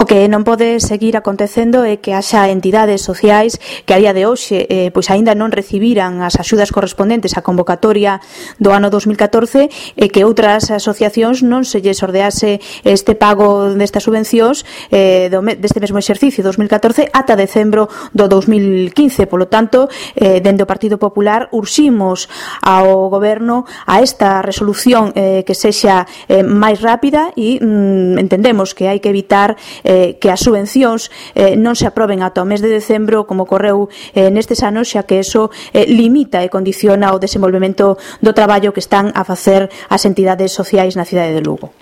O que non pode seguir acontecendo é que haxa entidades sociais que a día de hoxe pois aínda non recibiran as axudas correspondentes á convocatoria do ano 2014 e que outras asociacións non se lles ordease este pago destas subvencións deste mesmo exercicio 2014 ata decembro do 2015. Polo tanto, dende o Partido Popular urximos ao Goberno a esta resolución que sexa máis rápida e entendemos que hai que evitar que as subvencións non se aproben ata o mes de decembro como ocorreu nestes anos, xa que eso limita e condiciona o desenvolvemento do traballo que están a facer as entidades sociais na cidade de Lugo.